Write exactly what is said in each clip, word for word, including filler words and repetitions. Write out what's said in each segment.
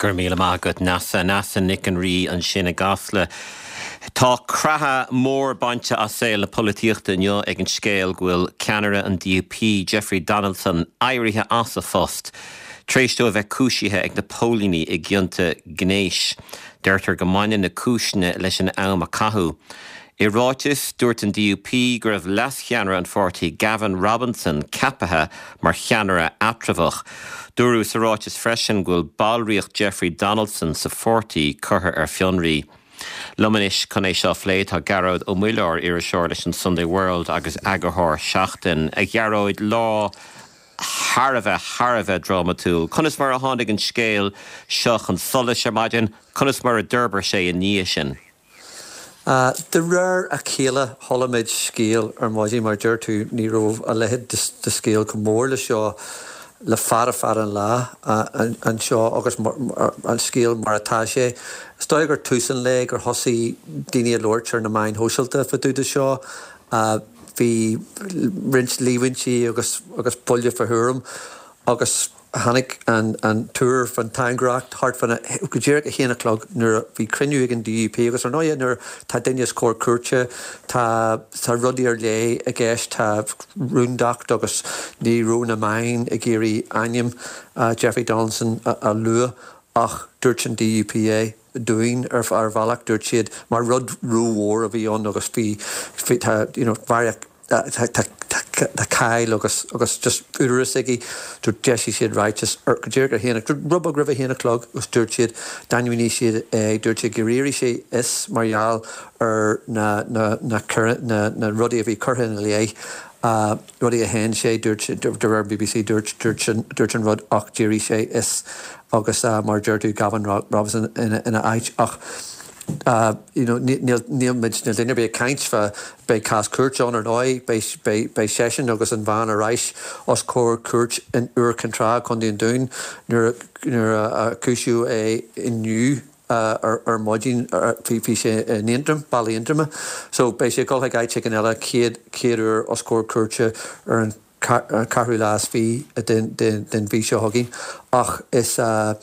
Gur míle maith agat Neasa Neasa Nic an Rí ansin i gCasla. Tá creathadh mór bainte as saol na polaitíochta inniu ag an scéal go bhfuil ceannaire an DUP Jeffrey Donaldson éirithe as a phost. Tar éis dó a bheith cúisithe ag na póilíní i gcionta gnéis. Deirtear go mbaineann na cúiseanna leis an am a caitheadh. I ráiteas dúirt an DUP go raibh leascheannaire an pháirtí Gavin Robinson ceaptha mar cheannaire eatramhach. Dúradh sa ráiteas freisin go bhfuil ballraíocht Jeffrey Donaldson sa pháirtí curtha ar fionraí. Liom anois chun é seo a phlé tá Gearóid Ó Muilleoir iriseoir leis an Sunday World agus eagarthóir Seachtain a Ghearóid lá thar a bheith thar a bheith drámatúil. Conas mar a tháinig an scéal seo chun solais ar maidin, conas mar a d'fhorbair sé i ndiaidh sin. Uh, de réir a chéile chuala muid scéal ar maidin mar deir tú ní raibh a leithéid de scéal chomh mór le seo le fada fada an lá uh, anseo agus an scéal mar atá sé. Is dóigh gur tús an lae gur thosaigh daoine ag labhairt ar na meáin shóisialta fá dtaobh de seo. Uh, bhí roinnt líomhaintí agus agus buille fá thuairim agus tháinig an an tuar fan tairngreacht thart fan go díreach a haon a chlog nuair a bhí cruinniú ag an DUP agus ar ndóigh nuair tá duine os comhair cúirte tá tá rudaí ar leith i gceist tá rúndacht agus ní raibh na meáin ag iarraidh ainm uh, Jeffrey Donaldson a, a lua ach dúirt an DUP é dúinn ar ar bhealach dúirt siad mar rud rómhór a bhí ann agus bhí tá you know, tá cáil agus agus just údaras aige dúirt d'eisigh siad ráiteas ar go díreach ar haon rud beag roimh a haon a chlog agus dúirt siad d'ainmnigh siad é dúirt siad gur éirigh sé as mar gheall ar na na na na na rudaí a bhí curtha ina leith uh, rudaí a shéan sé dúirt de réir BBC dúirt dúirt an rud ach d'éirigh sé as agus uh, mar deir tú Gavin Robinson ina ina áit ach Uh, you know, níl níl duine ag caint fá beidh cás cúirte ann ar ndóigh beidh seisean agus an bhean ar ais os comhair cúirt in Iúr Cinn Trá Contae an Dúin nuair a cúisíodh é inniu ar ar maidin bhí sé in Aontroim Baile Aontroma. So beidh sé dul ag áit éigin eile céad céad uair os comhair cúirte ar an ceathrú lá is fiche den den mhí seo chugainn ach is uh,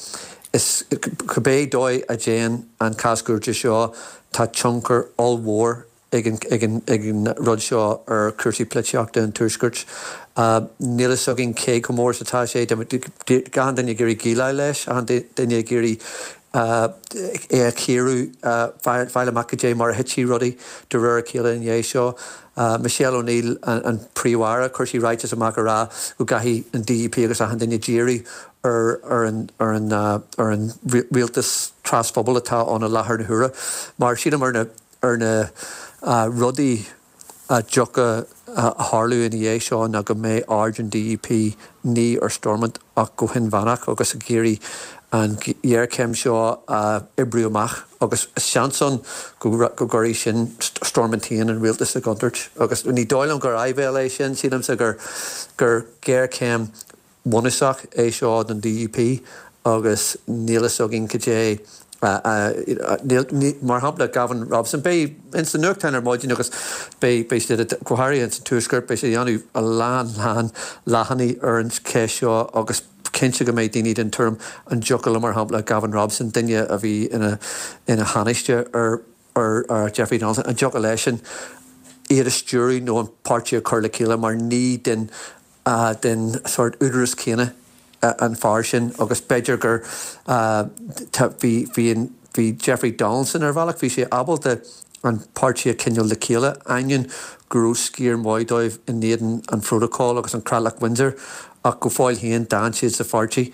is cibé dóigh a dtéann an cás cúirte seo tá tionchar ollmhór ag an ag an ag an rud seo ar chúrsaí polaitíochta an tuaiscirt. Uh, Níl a fhios againn cé chomh mór atá sé gan duine ag iarraidh déileáil leis an duine ag iarraidh uh, é a chíoradh uh, fáil amach dé mar a thitfidh rudaí de réir a chéile i ndiaidh seo. Uh, Michelle O'Neill an, an Príomh-Aire chuir sí ráiteas amach ará go gcaithfidh an DUP agus achan duine díriú ar ar an ar an uh, ar an rialtas trasphobail atá ann i láthair na huaire. Mar sílim ar na ar na uh, rudaí a dtiocfaidh a tharlú ina dhiaidh seo ná go mbeidh aird an DUP ní ar Stormont ach go hinmheánach agus ag iarraidh an ghéarchéim seo a oibriú amach agus seans ann go go gcuirfidh sin Stormont féin an rialtas i gcontúirt agus ní dóigh liom gur áibhéil é sin sílimse gur gur géarchéim bhunúsach é seo don DUP agus níl a fhios againn cad é mar shampla Gavin Robinson beidh ins na nuachtáin ar maidin agus beidh beidh siad go háirithe an tuaisceart beidh sé déanamh a lán lán leathanaigh ar an cheist seo agus cinnte go mbeidh daoine den tuairim an dtiocfadh mar shampla Gavin Robinson duine a bhí ina ina thánaiste ar ar ar Jeffrey Donaldson an dtiocfadh leis sin iad a stiúradh nó an páirtí a chur le chéile mar ní den uh, den sort údaras céanna uh, an fear sin agus b'fhéidir gur bhí bhí bhí Jeffrey Donaldson ar bhealach bhí sé ábalta an páirtí a choinneáil le chéile ainneoin go raibh sciar maith dóibh in éadan an protocol agus an Creatlach Windsor ach go fóill féin d'fhan siad sa pháirtí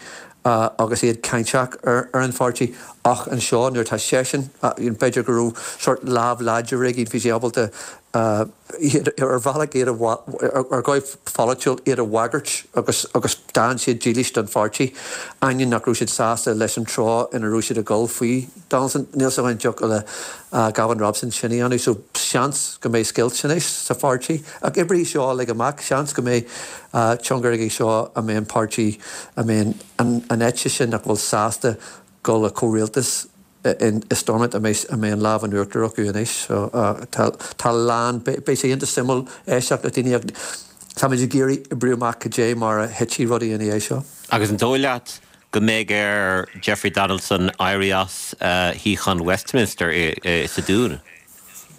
uh, agus iad cáinteach ar, ar an pháirtí ach anseo nuair tá seisean uh, b'fhéidir go raibh sort lámh láidir aige bhí sé ábalta uh, ar bhealach iad ar dhóigh pholaitiúil iad a bhagairt agus agus d'fhan siad dílis don pháirtí ainneoin nach raibh siad sásta leis an treo ina raibh siad ag dul faoi Donaldson níl a fhios an dtiocfadh le uh, Gavin Robinson sin a dhéanamh so seans go mbeidh scoilt anois sa pháirtí ach oibreoidh seo le amach seans go mbeidh uh, tionchar aige seo a mbeidh an páirtí a mbeidh an, an eite sin nach bhfuil sásta dul le comhrialtas in i Stormont a mbeidh a mbeidh an lámh in uachtar acu anois so uh, tá tá lán beidh sé iontach suimiúil éisteacht le daoine ach táimid ag iarraidh oibriú amach cad é mar a thitfidh rudaí ina dhiaidh seo. Agus an dóigh leat go mbeidh ar Jeffrey Donaldson éirí as shuíochán Westminster sa Dún.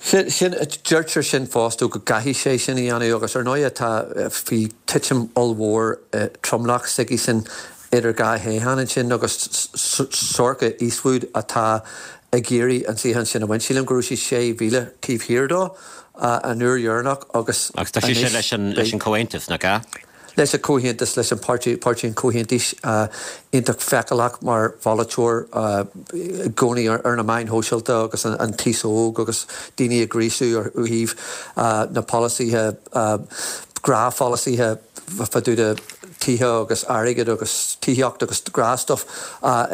Sin deirtear sin fosta go gcaithfidh sé sin a dhéanamh agus ar ndóigh tá bhí titim ollmhór tromlach s'aige sin idir dhá thoghchán ansin agus Sorcha Eastwood atá ag iarraidh an suíochán sin a bhaint. Sílim go raibh sí sé mhíle taobh thiar dó an uair dheireanach agus Agus tá sí leis an leis an Comhaontas nach ea? leis an Comhaontas leis an páirtí páirtí an Chomhaontais iontach feiceálach mar pholaiteoir i gcónaí ar na meáin shóisialta agus an t-aos óg agus daoine ag gríosú ar thaobh na polasaithe gnáthpholasaithe fá dtaobh de tithe agus airgead agus tithíocht agus gnáthstuff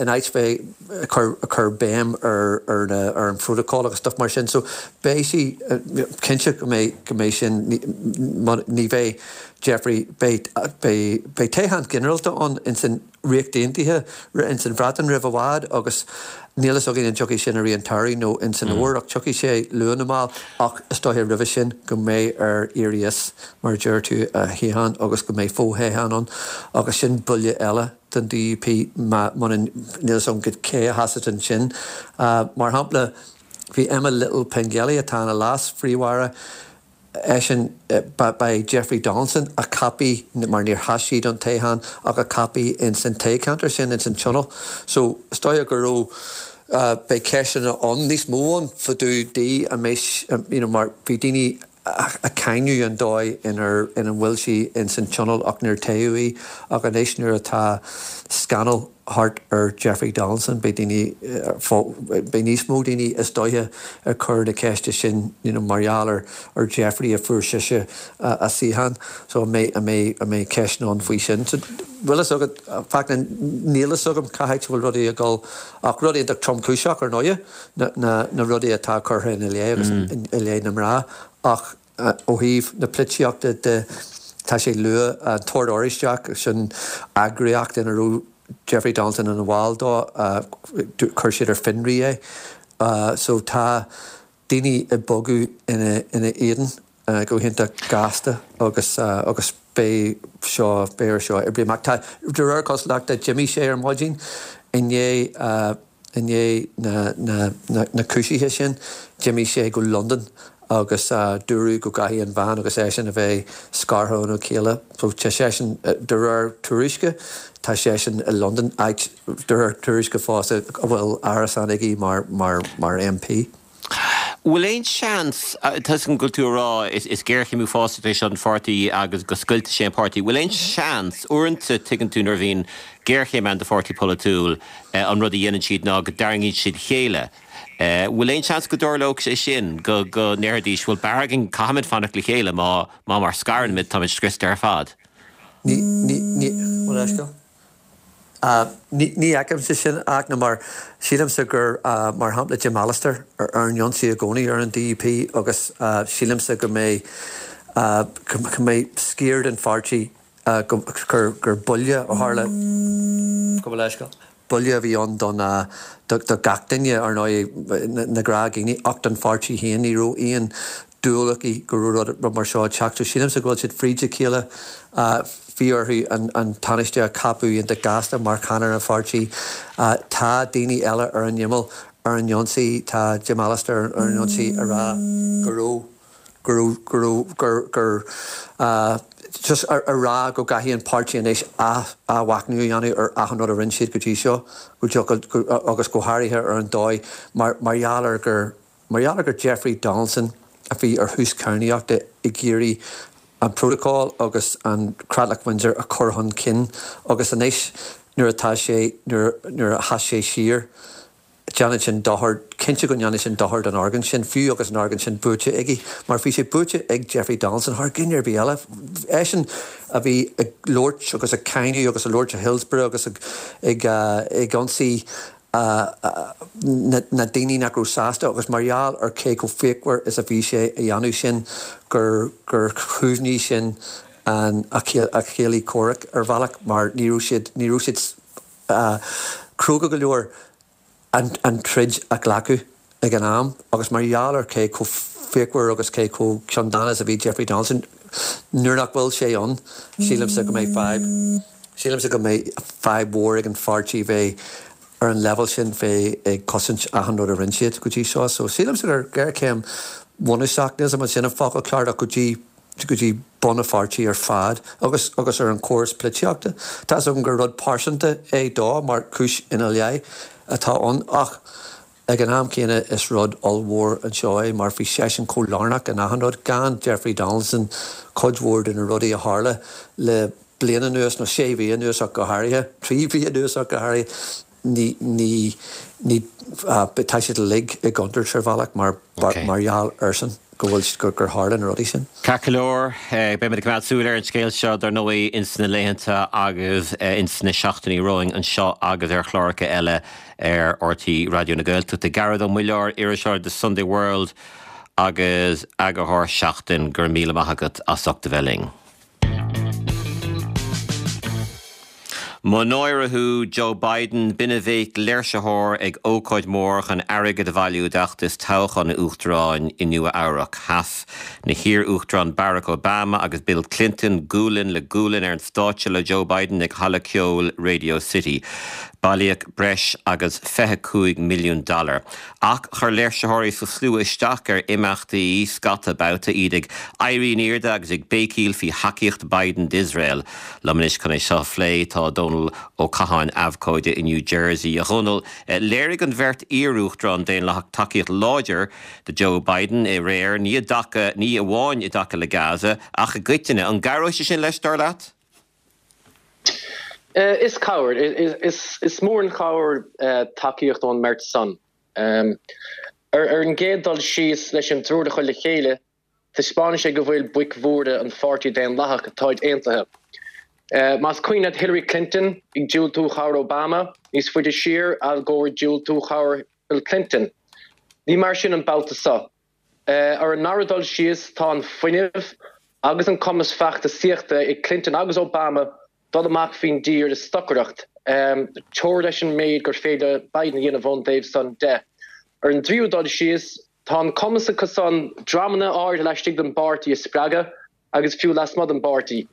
in áit bheith ag cur béim ar ar na ar an protocol agus stuff mar sin. So beidh sí cinnte go mbeidh go mbeidh sin ní bheidh Jeffrey beidh beidh toghchán ginearálta ann ins an Ríocht Aontaithe ins an Bhreatain roimh i bhfad agus níl a fhios againn an dtiocfaidh sin i rith an tsamhraidh nó ins an fhómhar ach tiocfaidh sé luath nó mall ach is dóiche roimhe sin go mbeidh air éirí as mar a deir tú a shuíochán agus go mbeidh fothoghchán ann agus sin buille eile don DUP muna níl a fhios agam cé a sheasfadh ansin. Mar shampla bhí Emma Little Pengelly atá ina leas-phríomh-aire eisean ba é Jeffrey Donaldson a ceapadh mar níor sheas sí don toghchán ach a ceapadh ins an toghcheantar sin ins an tionól. So is dóigh go raibh beidh ceisteanna ann níos mó ann fá dtaobh di an mbeidh you know mar bhí daoine ag cáineadh an dóigh inar ina bhfuil sí ins an tionól ach níor toghadh í ach anois nuair atá scannal thart ar Jeffrey Donaldson beidh daoine beidh níos mó daoine is dóiche ag cur na ceiste sin you know mar gheall ar ar Jeffrey a fuair sise a suíochán so an mbeidh an mbeidh an mbeidh ceisteanna ann faoi sin. So bhfuil fhios agat Fachtna níl fhios agam cá háit a bhfuil rudaí ag dul ach rud iontach tromchúiseach ar ndóighe na na na rudaí atá curtha ina leith agus i leith na mná ach ó thaobh na polaitíochta de tá sé luath an tOrd Oráisteach sin eagraíocht ina raibh Jeffrey Donaldson ina bhall dó chuir siad ar fionraí é so tá daoine ag bogadh ina ina éadan go hiontach gasta agus agus beidh seo beidh air seo oibriú amach. Tá de réir cosúlachta d'imigh sé ar maidin i ndiaidh i ndiaidh na na na na cúisithe sin d'imigh sé go Londain agus dúradh go gcaithfidh an bhean agus eisean a bheith scartha óna chéile. So tá seisean de réir tuairisce tá seisean i Londain áit de réir tuairisce fosta a bhfuil árasán aige mar mar mar MP. Bhfuil aon seans tá go bhfuil tú ag rá is is géarchéim uafásach é seo an pháirtí agus go scoiltfidh sé an páirtí. Bhfuil aon seans uaireanta tuigeann tú nuair a bhíonn géarchéim ann do pháirtí polaitiúil an rud a dhéanann siad ná go dtarraingíonn siad chéile. Bhfuil aon seans go dtarlódh sé sin go go ndéarfaidís bhfuil b'fhearr againn caithfimid fanacht le chéile má má mar scaraimid táimid scriosta ar fad. Ní ní ní bhfuil Ní ní fheicimse sin ach na mar sílimse gur mar shampla Jim Allister ar ar an ionsaí i gcónaí ar an DUP agus sílimse go mbeidh go mbeidh sciar den pháirtí gur gur buille a tharla go bhfuil leithscéal. Buille a bhí ann don do gach duine ar ndóigh na gnáthdhaoine ach don pháirtí féin ní raibh aon dúil acu go raibh rud mar seo ag teacht. So sílimse go bhfuil siad fríd a chéile bhí orthu an an Tánaiste a cheapadh iontach gasta mar cheannaire an pháirtí. Tá daoine eile ar an imeall ar an ionsaí tá Jim Allister ar an ionsaí a rá go raibh go raibh go raibh gur gur just a rá go gcaithfidh an páirtí anois athmhachnamh a dhéanamh ar achan rud a rinne siad go dtí seo go agus go háirithe ar an dóigh mar mar gheall ar gur mar gheall ar gur Jeffrey Donaldson a bhí ar thús cadhnaíochta ag iarraidh an protocol agus an Creatlach Windsor a chur chun cinn agus anois nuair atá sé nuair nuair a sheas sé siar déanann sin dochar cinnte go ndéanann sin dochar don argóint sin fiú agus an argóint sin buaite aige mar bhí sé buaite ag Jeffrey Donaldson thar dhuine ar bith eile eisean a bhí ag labhairt agus ag cáineadh agus ag labhairt i Hillsborough agus ag ag ag ionsaí na na daoine nach raibh sásta agus mar gheall ar cé chomh fíochmhar is a bhí sé a dhéanamh sin gur gur chúmhnaigh sin an a chéilí comhraic ar bhealach mar ní raibh siad ní raibh siad cróga go leor an an troid a ghlacadh ag an am agus mar gheall ar cé chomh fíochmhar agus cé chomh ceanndána is a bhí Jeffrey Donaldson nuair nach bhfuil sé ann sílimse go mbeidh fadhb Sílimse go mbeidh fadhb mhór ag an pháirtí bheith ar an leibhéal sin bheith ag cosaint achan rud a rinne siad go dtí seo. So sílimse gur géarchéim bhunúsach níl sin an focal ceart go dtí go dtí bun an pháirtí ar fad agus agus ar an córas polaitíochta. Tá agam gur rud pearsanta é dó mar cúis ina leith atá ann ach ag an am céanna is rud ollmhór anseo é mar bhí seisean chomh lárnach in achan rud gan Jeffrey Donaldson cuid mhór de na rudaí a tharla le bliain anuas nó sé mhí anuas ach go háirithe, trí mhí anuas ach go háirithe ní ní ní tá siad uilig i gcontúirt ar bhealach mar mar gheall airsean go bhfuil gur gur tharla na rudaí sin. Ceart go leor beimid ag coimeád súil ar an scéal seo dar ndóigh ins na laethanta agus ins na seachtainí romhainn anseo agus ar chláracha eile ar R T É Raidió na Gaeltachta. Gearóid Ó Muilleoir, iriseoir The Sunday World agus eagarthóir Seachtain go raibh míle maith agat as ucht a bheith linn. Mo náire thú Joe Biden, b'in a bhéic léirsitheoir ag ócáid mór chun airgead a bhailiú d'fheachtas toghcháin an Uachtaráin i Nua Eabhrac. Sheas na hiar-uachtaráin Barack Obama agus Bill Clinton gualainn le gualainn ar an stáitse le Joe Biden ag halla ceoil Radio City. Bailíodh breis agus fiche cúig milliún dollar. Ach chuir léirsitheoirí sa slua isteach ar imeachtaí scata babhta, iad ag éirí in airde agus ag béicíl faoi thacaíocht Biden d'Iosrael. Liom anois chun é seo a phlé tá Dónal Ó Catháin, abhcóide i New Jersey. A Dhónaill, léirigh an bheirt iar-uachtarán Daonlathach tacaíocht láidir do Joe Biden aréir, ní i dtaca, ní amháin i dtaca le Gaza, ach i gcoitinne. An gcabhróidh sé sin leis, dar leat? Is cabhair, is mór an chabhair tacaíocht ón mbeirt san. Ar an gcéad dul síos, leis an dtriúr a chur le chéile, taispeánann sé go bhfuil boic mhóra an Pháirtí Daonlathach, táid aontaithe. Más cuimhin leat Hillary Clinton ag diúltú chabhair Obama, níos faide siar, Al Gore ag diúltú chabhair Bill Clinton. Ní mar sin an babhta seo. Ar an ndara dul síos, tá an fuinneamh agus an cumas feachtasaíochta ag Clinton agus Obama dul amach faoin dtír ag stocaireacht, teora leis an méid gur féidir le Biden a dhéanamh ón dtaobh san de. Ar an dtríú dul síos, tá an cumas acu san dreamanna áirithe laistigh den bpáirtí a spreagadh agus fiú lasmuigh den bpáirtí.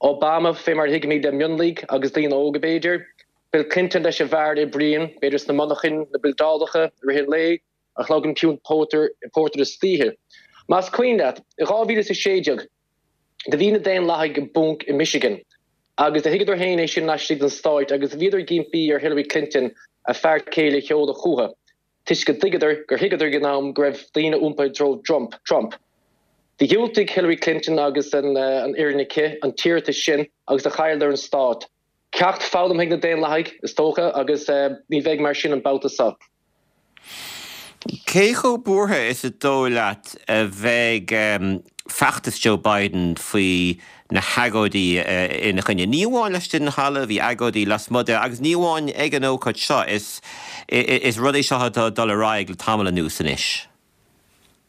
Obama, fé mar a thuigimid, le mionlaigh agus daoine óga b'fhéidir, Bill Clinton leis an bhfear a oibríonn, b'fhéidir sna monarchain, na bildeálacha, i rith an lae, ach a ghlacann piúnt pórtair istoíche. Más cuimhin leat, i dhá mhíle is a sé déag, do bhí na Daonlathaigh i bponc i Michigan agus do thuigeadar féin é sin laistigh den stáit agus bhíodar ag impí ar Hillary Clinton a fear céile a sheoladh chúthu toisc go dtuigeadar, gur thuigeadar ag an am go raibh daoine iompaithe i dtreo Trump. Do dhiúltaigh Hillary Clinton agus an fhoireann aici an t-iarratas sin agus do chailleadar an stát. Ceacht foghlamtha ag na Daonlathaigh, is dócha, agus ní bheidh mar sin an babhta seo. Cé chomh buartha is is dóigh leat a bheidh feachtas Joe Biden faoi na hagóidí ina choinne? Ní amháin laistigh den halla, bhí agóidí lasmuigh de agus ní amháin ag an ócáid seo, is rud é seo atá ag dul ar aghaidh le tamall anuas anois.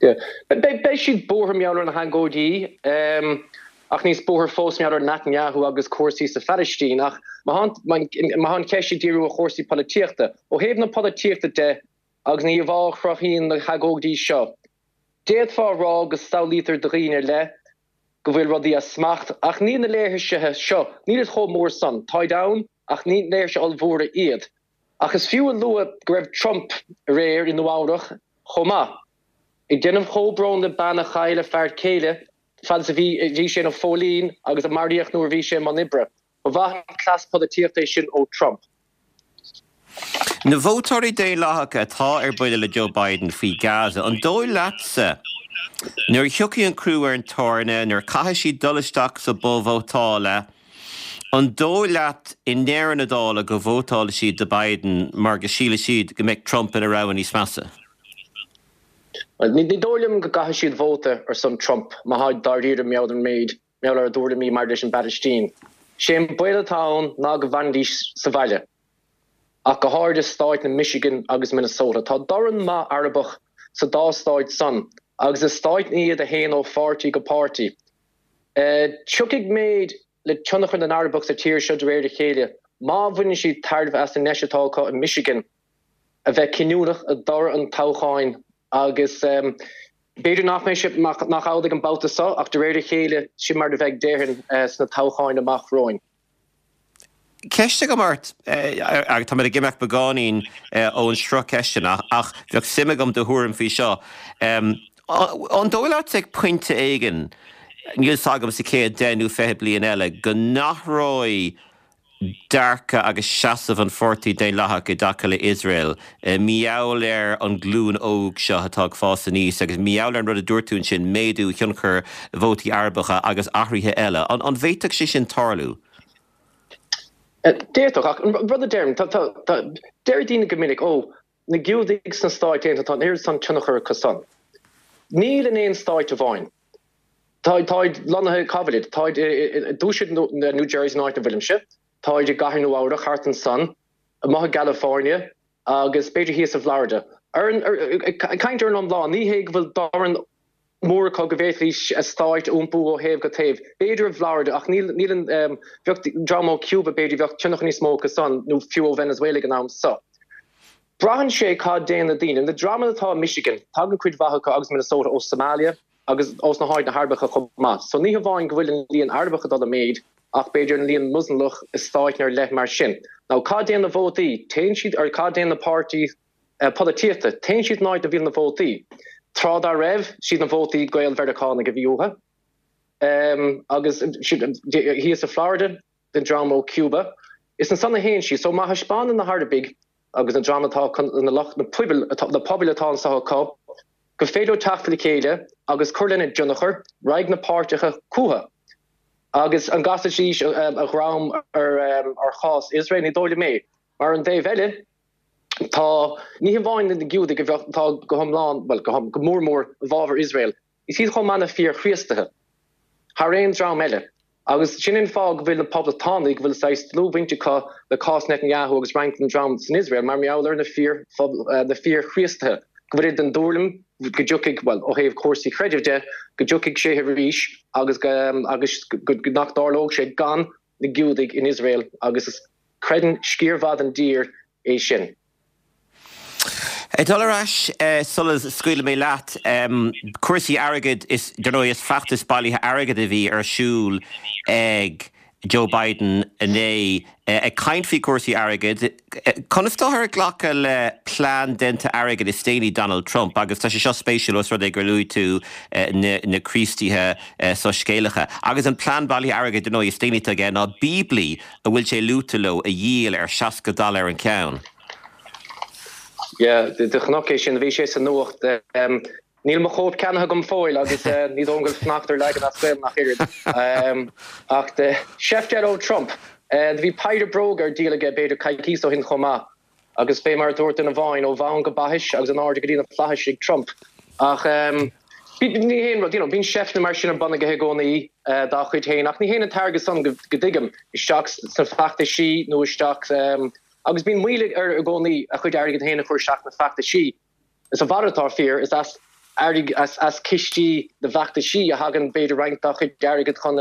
Beidh siad buartha mar gheall ar na hagóidí, ach níos buartha fós mar gheall ar Netanyahu agus cúrsaí sa Phalaistín. Ach má tá an cheist ag díriú ar chúrsaí polaitíochta, ó thaobh na polaitíochta de agus na híomhá a chruthaíonn na hagóidí seo, d'fhéadfá a rá go samhlaítear do dhaoine ar leith go bhfuil rudaí as smacht. Ach níl na léirsithe seo, níl siad chomh mór san. Táid ann, ach ní léirsithe ollmhóra iad. Ach is fiú a lua go raibh Trump aréir i Nua Eabhrac chomh maith, ag déanamh comhbhrón le bean a chaill a fear céile fad is a bhí bhí sé ina phóilín agus a maraíodh nuair a bhí sé i mbun oibre. Ba mhaith an cleas polaitíochta é sin ó Trump. Na vótóirí Daonlathacha atá ar buile le Joe Biden faoi Gaza, an dóigh leatsa, nuair a thiocfaidh an crú ar an tairne, nuair a chaithfidh siad dul isteach sa bpoll vótála, an dóigh leat i ndeireadh na dála go vótálfaidh siad do Biden mar go sílfidh siad go mbeidh Trump ina rogha níos measa? Bhuel, ní dóigh liom go gcaithfidh siad vóta ar son Trump má tháid dáiríre mar gheall ar an méid mar gheall ar a dtuairimí maidir leis an bPalaistín. Sé an baol atá ann ná go bhfanfaidís sa bhaile, ach go háirid i stáit na Michigan agus Minnesota. Tá dorn maith Arabach sa dá stáit san agus is stáit iad a théann ó pháirtí go páirtí. Tiocfaidh méid le tionchar na nArabach sa tír seo de réir a chéile má bhaineann siad tairbhe as an ndeis atá acu i Michigan a bheith cinniúnach i dtoradh an toghcháin agus b'fhéidir nach mbeidh sé nach amhlaidh an babhta seo ach de réir a chéile sin mar a bheidh déarfainn sna toghcháin amach romhainn. Ceist agam ort, agus tá mé ag imeacht beagáinín ón sruth ceisteanna ach bheadh suim agam do thuairim faoi seo. An dóigh leat ag pointe éigin, níl 's agam sa chéad deich nó fiche bliain eile, go n-athróidh dearcadh agus seasamh an Pháirtí Daonlathach i dtaca le Iosrael mar gheall ar an ghlúin óg seo atá ag fás aníos agus mar gheall ar an rud a dúirt tú ansin, méadú thionchar vótaí Arabacha agus athruithe eile. An bhféadfadh sé sin tarlú? D'fhéadfadh, ach an rud a deirim, deir daoine go minic, ó, na Giúdaigh sna Stáit Aontaithe, tá an oiread san tionchar acu san. Níl in aon stáit amháin. Táid lonnaithe, cá bhfuilid? Táid i dtuaisceart New Jersey, an áit a bhfuilimse, táid i gcathair Nua-Eabhrac, thart ansan, amuigh i gCalifornia agus b'fhéidir thíos i bhFlorida. Ag caint ar an iomlán, ní hé go bhfuil dorn mór acu go bhféadfaidís a stáit a iompú ó thaobh go taobh. B'fhéidir i bhFlorida, ach níl níl an bheadh dream ó Cuba b'fhéidir bheadh tionchar níos mó acu san nó fiú ó Venezuela ag an am so. Braitheann sé cad déanann na daoine. Na dreamanna atá i Michigan, tagann cuid mhaith acu agus Minnesota ó Somalia agus ós na háiteanna Arabacha chomh maith. So ní hamháin go bhfuil an líon Arabach ag dul i méid ach b'fhéidir an líon Moslamach i stáit ar leith mar sin. Now cad déanann na vótaí? Téann siad ar cad déanann na páirtí polaitíochta. Téann siad an áit a bhíonn na vótaí. Tráth dá raibh, siad na vótaí Gael-Mheiriceánaigh a bhí uathu. Agus thíos i Florida, den dream ó Cuba. Is ansan a théann siad. So má thaispeánann na hArabaigh agus na dream atá, na lucht, na pobail, na pobail atá anso acu, gur féidir leo teacht le chéile agus cur lena dtionchar, raghaidh na páirtithe chucu. Agus an gcasfaidís a dhroim ar chás Iosrael? Ní dóigh liom é. Mar ar an dtaobh eile, Tá, ní hamháin na Giúdaigh a bheadh, atá go hiomlán, bhuel, go, go mór mór i bhfabhar Iosrael, is iad chomh maith na fíor-Chríostaithe, thar aon dream eile. Agus sin an fáth go bhfuil na Poblachtánaigh, go bhfuil saghas dlúthbhaint acu le cás Netanyahu agus roinnt den dream san Iosrael, mar gheall ar na fíor, na fíor-Chríostaithe, go bhfuilid den dtuairim go dtiocfaidh, bhuel, ó thaobh cúrsaí creidimh de, go dtiocfaidh sé arís agus go, agus go, nach dtarlódh sé gan na Giúdaigh in Iosrael agus is, creideann sciar mhaith den dtír é sin. Ag dul ar ais sula scaoilfidh mé leat, cúrsaí airgid, is dar ndóigh is feachtas bailithe airgid a bhí ar siúl ag Joe Biden inné. Ag caint faoi chúrsaí airgid, conas táthar ag glacadh le plean déanta airgid is déanaí Donald Trump? Agus tá sé seo spéisiúil os rud é gur luaigh tú na Críostaithe soiscéalacha. Agus an plean bailithe airgid dar ndóigh is déanaí atá aige ná Bíoblaí a bhfuil sé luaite leo a dhíol ar seasca dollar an ceann. Yeah, do chonac é sin, bhí sé sa nuacht. Níl mo chóip ceannaithe agam fóill agus ní dóigh liom go bhfuil fanacht ar leagan as Gaelainn ach oiread. Ach seift eile ó Trump. Do bhí péire bróga ar díol aige b'fhéidir coicíos ó shin chomh maith. Agus fé mar a dúirt duine amháin, ó bhonn go baithis agus in airde go dtí na flaithis ag Trump. Ach ní haon rud, you know, bíonn seifteanna mar sin ar bun aige i gcónaí dá chuid féin, ach ní théann an t-airgead san, go dtuigim, isteach sna feachtaisí nó isteach, agus bíonn moill air i gcónaí a chuid airgid féin a chur isteach sna feachtaisí. Is a mhalairt atá fíor, is as airgead, as cistí na bhfeachtaisí a thagann b'fhéidir roinnt dá chuid airgid chun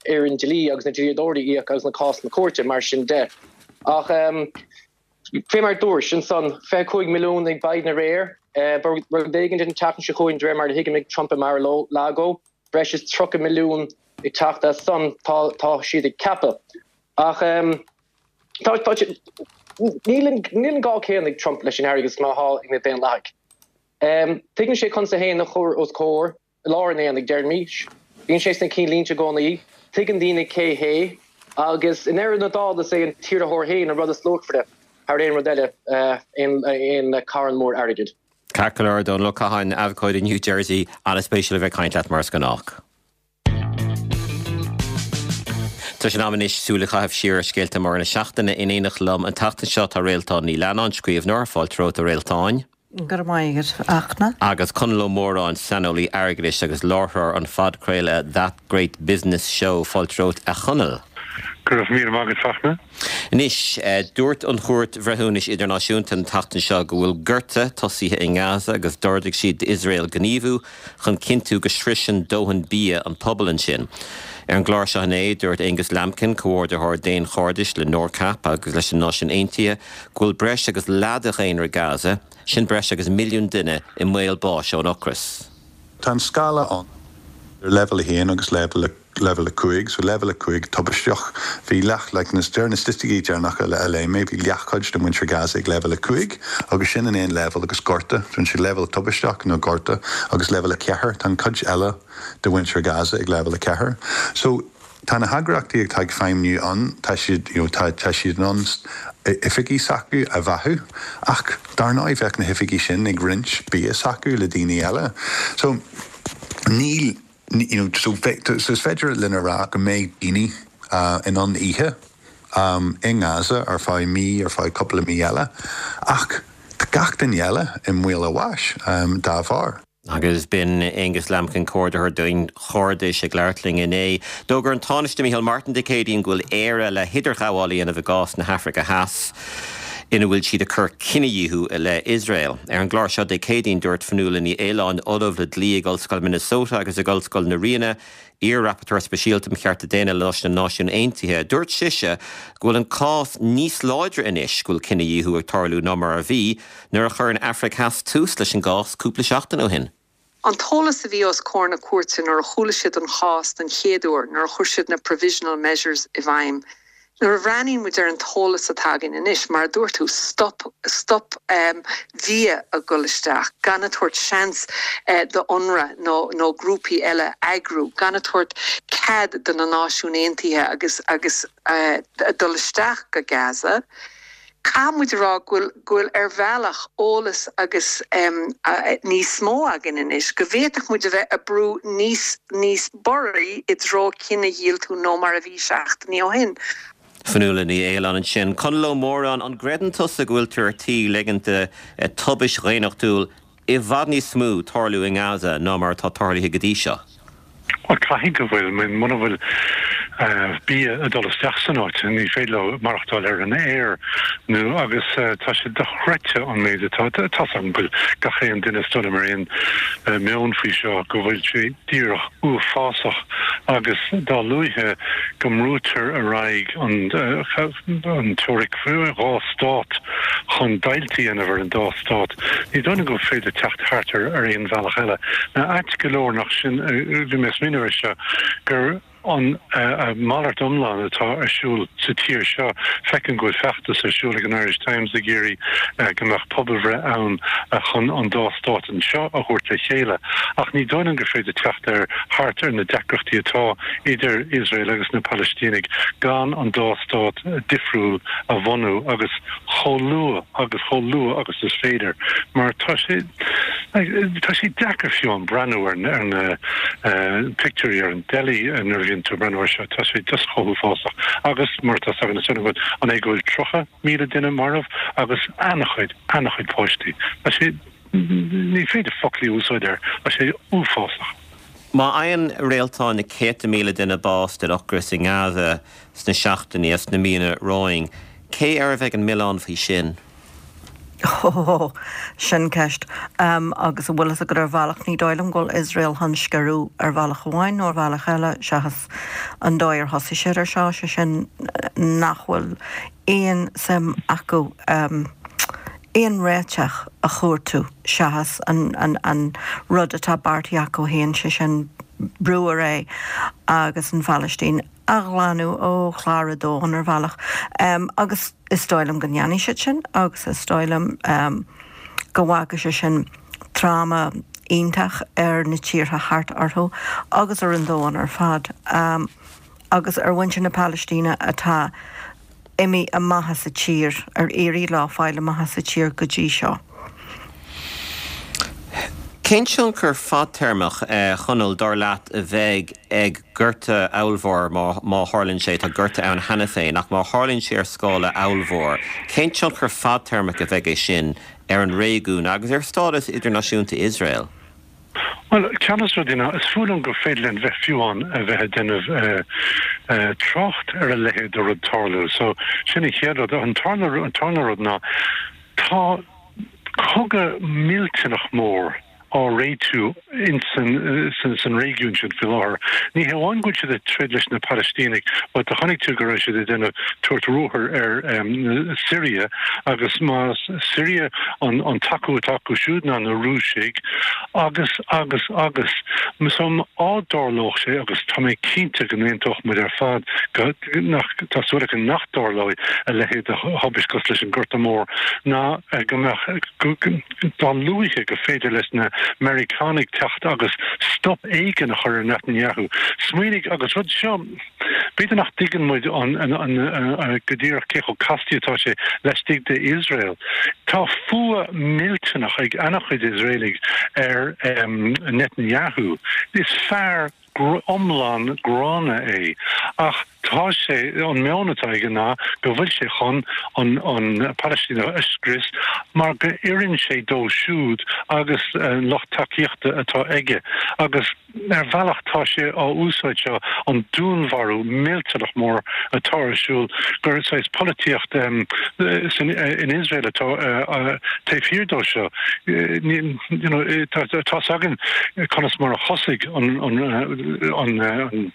fhoireann dlí agus na dlíodóirí a íoc agus na cásanna cúirte, mar sin de. Ach fé mar a dúirt ansan, fiche cúig milliún ag Biden aréir, beidh rud éigin an tseachtain seo chugainn de réir mar a thuigim ag Trump i Mar-a-Lago, breis is tríocha milliún ag teacht as san, tá tá siad ag ceapadh. Ach tá tá níl an níl an gá céanna ag Trump leis an airgead is mar atá ag na Daonlathaigh. Tuigeann sé conas é féin a chur os comhair i lár an aonaigh, deirimis. Bíonn sé sna cinnlínte i gcónaí. Tuigeann daoine cé hé. Agus i ndeireadh na dála is é an t-iarrthóir féin an rud is luachmhaire thar aon rud eile, aon carn mór airgid. Ceart go leor, Dónal Ó Catháin, abhcóide i New Jersey, an-spéisiúil a bheith ag caint leat mar is gnách. Tá sé in am anois súil a chaitheamh siar ar scéalta móra na seachtaine. In éineacht liom an tseachtain seo tá Réaltán Ní Leannáin, scríbhneoir. Fáilte romhat a Réaltáin. Go raibh maith agat, a Fhachtna. Agus Conall Ó Móráin, saineolaí airgeadais agus láithreoir an phodchraoladh That Great Business Show. Fáilte romhat, a Chonaill. Go raibh míle maith agat, Fachtna. Anois, dúirt an Chúirt Bhreithiúnais Idirnáisiúnta an tseachtain seo go bhfuil gorta tosaithe i nGaza agus d'ordaigh siad d'Iosrael gníomhú chun cinntiú go sroiseann dóthain bia an pobal ansin. Ar an gclár seo inné, dúirt Angus Lambkin, comhordaitheoir daonchairdis le NORCAP agus leis na Náisiúin Aontaithe, go bhfuil breis agus leath de dhaonra Gaza, sin breis agus milliún duine, i mbaol báis ón ocras. Tá an scála ann, leibhéal a haon agus leibhéal a level a cúig, so level a cúig tubaisteach bhí leath like, na na staitisticí deireanacha le le mé bhí leathchuid de mhuintir Gaza ag level a cúig agus sin an aon level agus gorta Tá sé level tubaisteach nó gorta agus level a ceathair tá cuid eile de mhuintir Gaza ag level a ceathair. So tá na heagraíochtaí atá ag feidhmiú ann tá siad you know, tá tá siad an oifigí s'acu a bheathú ach dar ndóigh bheadh na hoifigí sin ag roinnt bia s'acu le daoine eile. So níl you know, so, so is féidir linn a rá go mbeidh daoine uh, in ann ithe um, in Gaza ar feadh mí ar feadh cúpla mí eile ach tá gach duine eile i mbaol a bháis um, dá bharr. Agus b'in Aonghus Lambkin comhordaitheoir Daonchairdis ag labhairt linn inné. D'fhógair an Tánaiste Micheál Martin Dé Céadaoin go bhfuil Éire le hidirghabháil a dhéanamh i gcás na hAfraice Theas. ina bhfuil siad ag cur cinedhíothú i leith Iosrael. Ar an gclár seo Dé Céadaoin dúirt Fionnuala Ní Aoláin Ollamh le dlí ag Ollscoil Minnesota agus ag Ollscoil na Ríona, iar-rapporteur speisialta um chearta daonna leis na Náisiúin Aontaithe. Dúirt sise go bhfuil an cás níos láidre anois go bhfuil cinedhíothú ag tarlú ná mar a bhí nuair a chuir an Afraic Theas tús leis an gcás cúpla seachtain ó shin. An t-eolas a bhí os comhair na cúirte nuair a chuala siad an chás den chéad uair nuair a chuir siad na provisional measures i bhfeidhm. Nuair a bhreathnaíonn muid ar an t-eolas atá againn anois mar dúirt tú stop stop um, bia a dhul isteach, gan a tabhairt seans uh, do UNRWA nó, nó grúpaí eile eagrú, gan a tabhairt cead do na Náisiúin Aontaithe agus agus uh, dul isteach go Gaza. Caithfidh muid rá go bhfuil ar bhealach eolas agus um, uh, níos mó againn anois, go bhféadfadh muid a bheith ag brú níos níos borraí i dtreo cinedhíothú ná mar a bhí seachtainí ó shin. Fionnuala Ní Aoláin ansin. Conall Ó Móráin an gcreideann tusa go bhfuiltear ar tí ligint tubaiste dhaonnachtúil i bhfad níos mó tarlú i nGaza ná mar atá tarlaithe go dtí seo. Well caithfidh go bhfuil muna bhfuil uh, bia ag dul isteach san áit ní féidir leo maireachtáil ar an aer nó agus uh, tá sé dochreidte an méid atá tá an bhfuil gach aon duine stone mar aon uh, meon faoi seo go bhfuil sé díreach uafásach agus dá luaithe go mbrúitear ar aghaidh an uh, an teoiric dhá stát chun deighilt a dhéanamh ar an dá stát. Ní dóigh go féidir teacht thart ar ar aon bhealach eile. Na ait go leor nach sin bhí mé smaoineamh seo gur an uh, malairt iomlán atá ar siúl sa tír seo feicim go bhfuil feachtas ar siúl ag an Irish Times ag iarraidh uh, go mbeadh pobalbhreith ann uh, chun an dá stát anseo a thabhairt le chéile. Ach ní dóigh gur féidir teacht ar thart ar na deacrachtaí atá idir Israel agus na Palaistínigh gan an dá stát difriúil a bhunú agus chomh luath agus chomh luath agus is féidir. Mar tá sé tá sé deacair fiú an breathnú ar ar na uh, pictiúirí ar an teilí nuair bhíonn tú breathnú seo tá sé just chomh huafásach agus mar tá na go an é go bhfuil tríocha míle duine marbh agus an-chuid an-chuid páistí. Tá sé ní féidir foclaí a úsáid air tá sé uafásach. Má fhaigheann réaltán na céadta míle duine bás den ocras i nGaza sna seachtainí is na míonna romhainn, cé air a bheidh an milleán faoi sin? Oh, sin ceist um, agus a bhfuil go ar bhealach ní dóigh liom go bhfuil Israel chun scaradh ar bhealach amháin nó ar bhealach eile seachas an dóigh ar thosaigh siad ar seo sé sin nach bhfuil aon suim acu um, aon réiteach a chuartú seachas an, an, an rud atá beartaithe acu féin sé sin brú ar aghaidh agus an Phalaistín a ghlanadh ó chlár an domhain ar bhealach. Um, agus is dóigh liom go ndéanfaidh siad sin agus is dóigh liom um, go bhfágfaidh sé sin tráma iontach ar na tíortha thart orthu agus ar an domhan ar fad. Um, agus ar mhuintir na Palaistíne atá imithe amach as an tír ar éirigh leo fáil amach as an tír go dtí seo. Cén tionchar fadtéarmach eh, Chonaill dar leat a bheidh ag gorta ollmhór má, má tharlaíonn sé tá gorta ann cheana féin ach má tharlaíonn sé ar scála ollmhór. Cén tionchar fadtéarmach a bheidh é sin ar an réigiún agus ar stádas idirnáisiúnta Israel? Well ceannas rudína is fulam go féidir bheith fiúán a bheith déanamh uh, uh, trácht ar a leithéid de rud tarlú, so sin an chéad rud an tarna an tarna rud ná tá cogadh millteanach mór á réitiú in san san réigiún sin faoi láthair. Ní hamháin go bhfuil siad ag troid leis na Palaistínigh, but do chonaic tú go raibh siad ag déanamh tabhairt ruathar ar um, Syria agus má Syria an, an tacú atá acu siúd ná na Rúisigh agus agus agus so dá dtarlódh sé agus tá mé cinnte go n-aontódh muid ar fad go nach tá súil agam nach dtarlóidh a leithéid de thubaist cosúil leis an Gorta Mór ná eh, go mbeadh dá luaithe gur féidir leis na Meiriceánaigh teacht agus stop éigin a chur ar Netanyahu. Smaoinigh agus rud seo b'fhéidir nach dtuigeann muid an go díreach cé chomh casta atá sé laistigh de Israel. Tá fuath millteanach ag an-chuid Iosraelaigh ar um, Netanyahu. Is fear iomlán gránna é ach tá sé an meon atá aige ná go bhfuil sé chun an an Palaistín a scrios mar go oireann sé dó siúd agus an lucht tacaíochta atá aige agus ar bhealach tá sé á úsáid seo an dúnmharú millteanach mór atá ar siúl gur saghas polaitíocht um, san, uh, in Israel atá uh, uh, taobh thiar dó seo. You know, tá tá againn conas mar a thosaigh an an an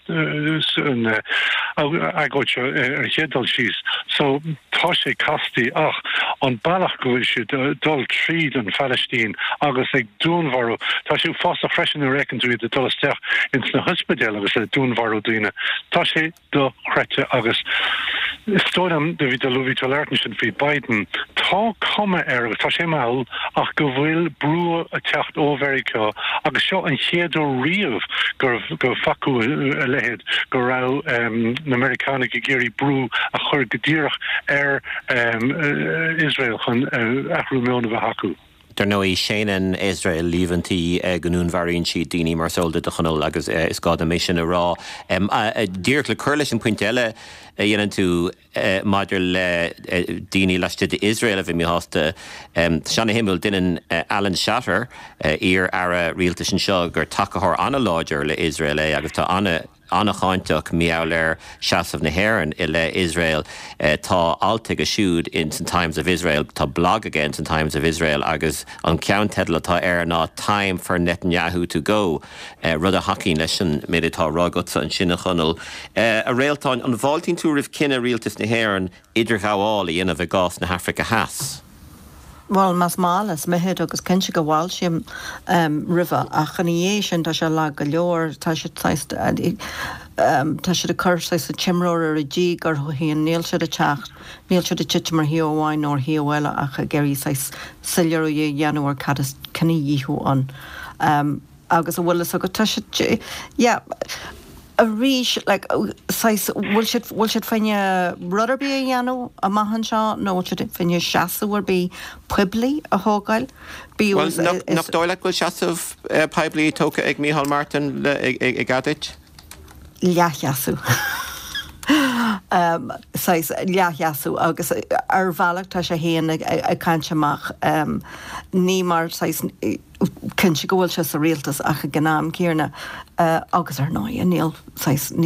an agóid seo ar chéad dul síos. So tá sé casta ach an bealach go bhfuil siad dul tríd an Phalaistín agus ag dúnmharú Tá sé fásta freisin a fheiceann tú iad dul isteach ins na hospidéil agus le dúnmharú daoine. Tá sé dochreidte agus is dóigh liom do bhí do bhí tú ag labhairt sin faoi Biden tá cuma air agus tá sé mall ach go bhfuil brú ag teacht ó Mheiriceá agus seo an chéad uair riamh gur go bhfacthas a leithéid go raibh um, na Meiriceánaigh ag iarraidh brú a chur go díreach ar um, Israel chun uh, athrú meoin a bheith acu. Dar ndóigh séanann Israel líomhaintí go ndúnmharaíonn siad daoine mar is eol duit a Chonaill agus is gá dom é sin a rá. Díreach le cur leis an pointe eile a dhéanann tú maidir le daoine laistigh d'Iosrael a bheith míshásta. Tá sé an-shuimiúil deineann Alan Shatter iar-aire rialtais anseo gur tacaitheoir an-láidir le Israel é agus tá an- an-cháinteach mar gheall ar seasamh na hÉireann i leith Israel tá alt aige siúd in san Times of Israel tá blag aige in san Times of Israel agus an ceannteideal atá air ná Time for Netanyahu to go rud a thacaíonn leis an méid atá á rá agatsa ansin a Chonaill. A Réaltáin an bhfáiltíonn tú roimh chinneadh rialtas na hÉireann idirghabháil a dhéanamh i gcás na hAfraice Theas. Well más maith is mithid agus cinnte go bhfáiltím um, roimhe ach ina dhiaidh sin tá sé lag go leor tá sé um, tá sé cur sa t-imreoir ar a dí gur thuíon níl sé a techt níl sé a titim mar thaobh amháin nó thaobh eile ach ag iarraidh soiléiriú a dhéanamh ar cad is cinedhíothú ann. Um, agus a bhfuil go tá sé yeah, arís like, bhfuil siad bhfuil siad fá choinne rud ar bith a dhéanamh amach anseo nó bhfuil siad fá choinne seasamh ar bith poiblí a thógáil. Nach dóigh leat go bhfuil seasamh poiblí tógtha ag Micheál Martin ag aduit? Leathsheasamh. um, leathsheasamh agus ar bhealach tá sé féin ag, ag caint amach um, ní mar cinnte go bhfuil sé sa rialtas ach ag an am céanna uh, agus ar ndóigh níl